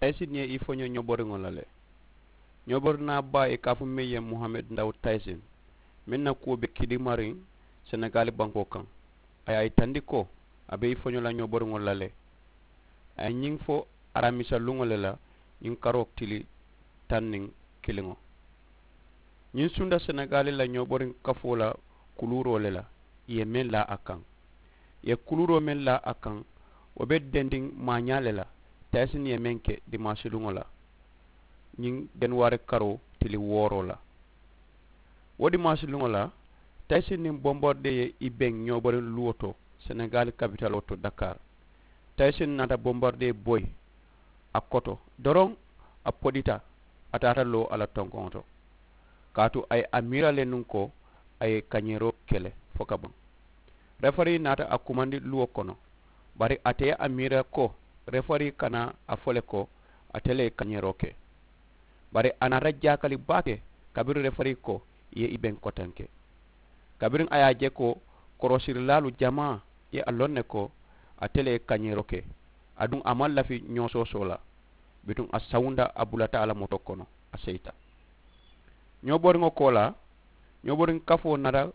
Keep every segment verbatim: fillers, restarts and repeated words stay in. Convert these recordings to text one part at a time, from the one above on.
Tayisin ye i foño ñoboriŋo la le. Ñoborinaa baa i ka a fo meŋ ye muhamed ndaw tayisin, meŋ na kuwo be kidimariŋ senegali bankoo kaŋ, a ye a yitandi ko a be i foño la ñoboriŋo la le. A ye ñiŋ fo aramisa luŋo le la, ñiŋ karoo tili taŋ niŋ kiliŋo. Ñiŋ sunda senegali la ñoboriŋ kafoo la kuluuroo le la, i ye meŋ laa a kaŋ. I ye kuluuroo meŋ laa a kaŋ, wo be dendiŋ maañaa le la. Tayisin ye meŋ ke dimaasi luŋo la, ñiŋ januwari karoo tili wooroo la. Wo dimaasi luŋo la, tayisin niŋ bombarde ye i beŋ ñoboriŋ luwo to, senegali kapitaloo to dakar. Tayisin naata bombarde boyi a koto doroŋ, a podita, a taata loo a la tonkoŋo to. Kaatu a ye a miira le nuŋ ko a ye kañeeroo ke le fo ka baŋ. Refari naata a kumandi luwo kono, bari ate ye a miira ko refari kana a fo le ko ate le ye kañeeroo ke. Bari a naata jaakali baake kabiriŋ refari ko i ye i beŋ kotenke. Kabiriŋ a ye a je ko korosirilaalu jamaa ye a loŋ ne ko ate le ye kañeeroo ke, aduŋ a maŋ lafi ñoosoosoo la, bituŋ a sawunda a bulata a la motoo kono, a seyita. Ñoboriŋo koolaa, ñoboriŋ kafoo naata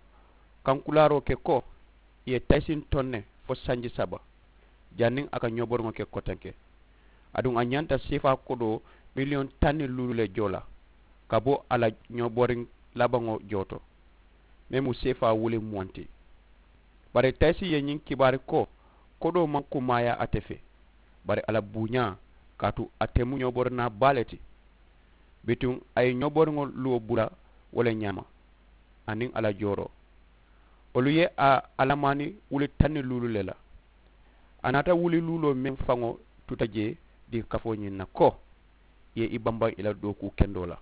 kankulaaroo ke ko i ye tayisin toŋ ne fo sanji saba, janniŋ a ka ñoboriŋo ke kotenke. Aduŋ a ñanta seefaa kodoo miliyoŋ taŋ niŋ luulu le joo la ka bo a la ñoboriŋ labaŋo joo to, meŋ mu seefaa wuli muwaŋ ti. Bari tayisi ye ñiŋ kibaari ko kodoo maŋ kumaayaa ate fee, bari a la buuñaa, kaatu ate mu ñoborinaa baa le ti. Bituŋ a ye ñoboriŋo luwo bula wo le ñaama, aniŋ a la jooroo. Wolu ye a alamaani wuli taŋ niŋ luulu le la. A naata wuli luuloo meŋ faŋo tuta jee diŋ kafoo ñiŋ na ko i ye i bambaŋ i la dookuu kendoo la.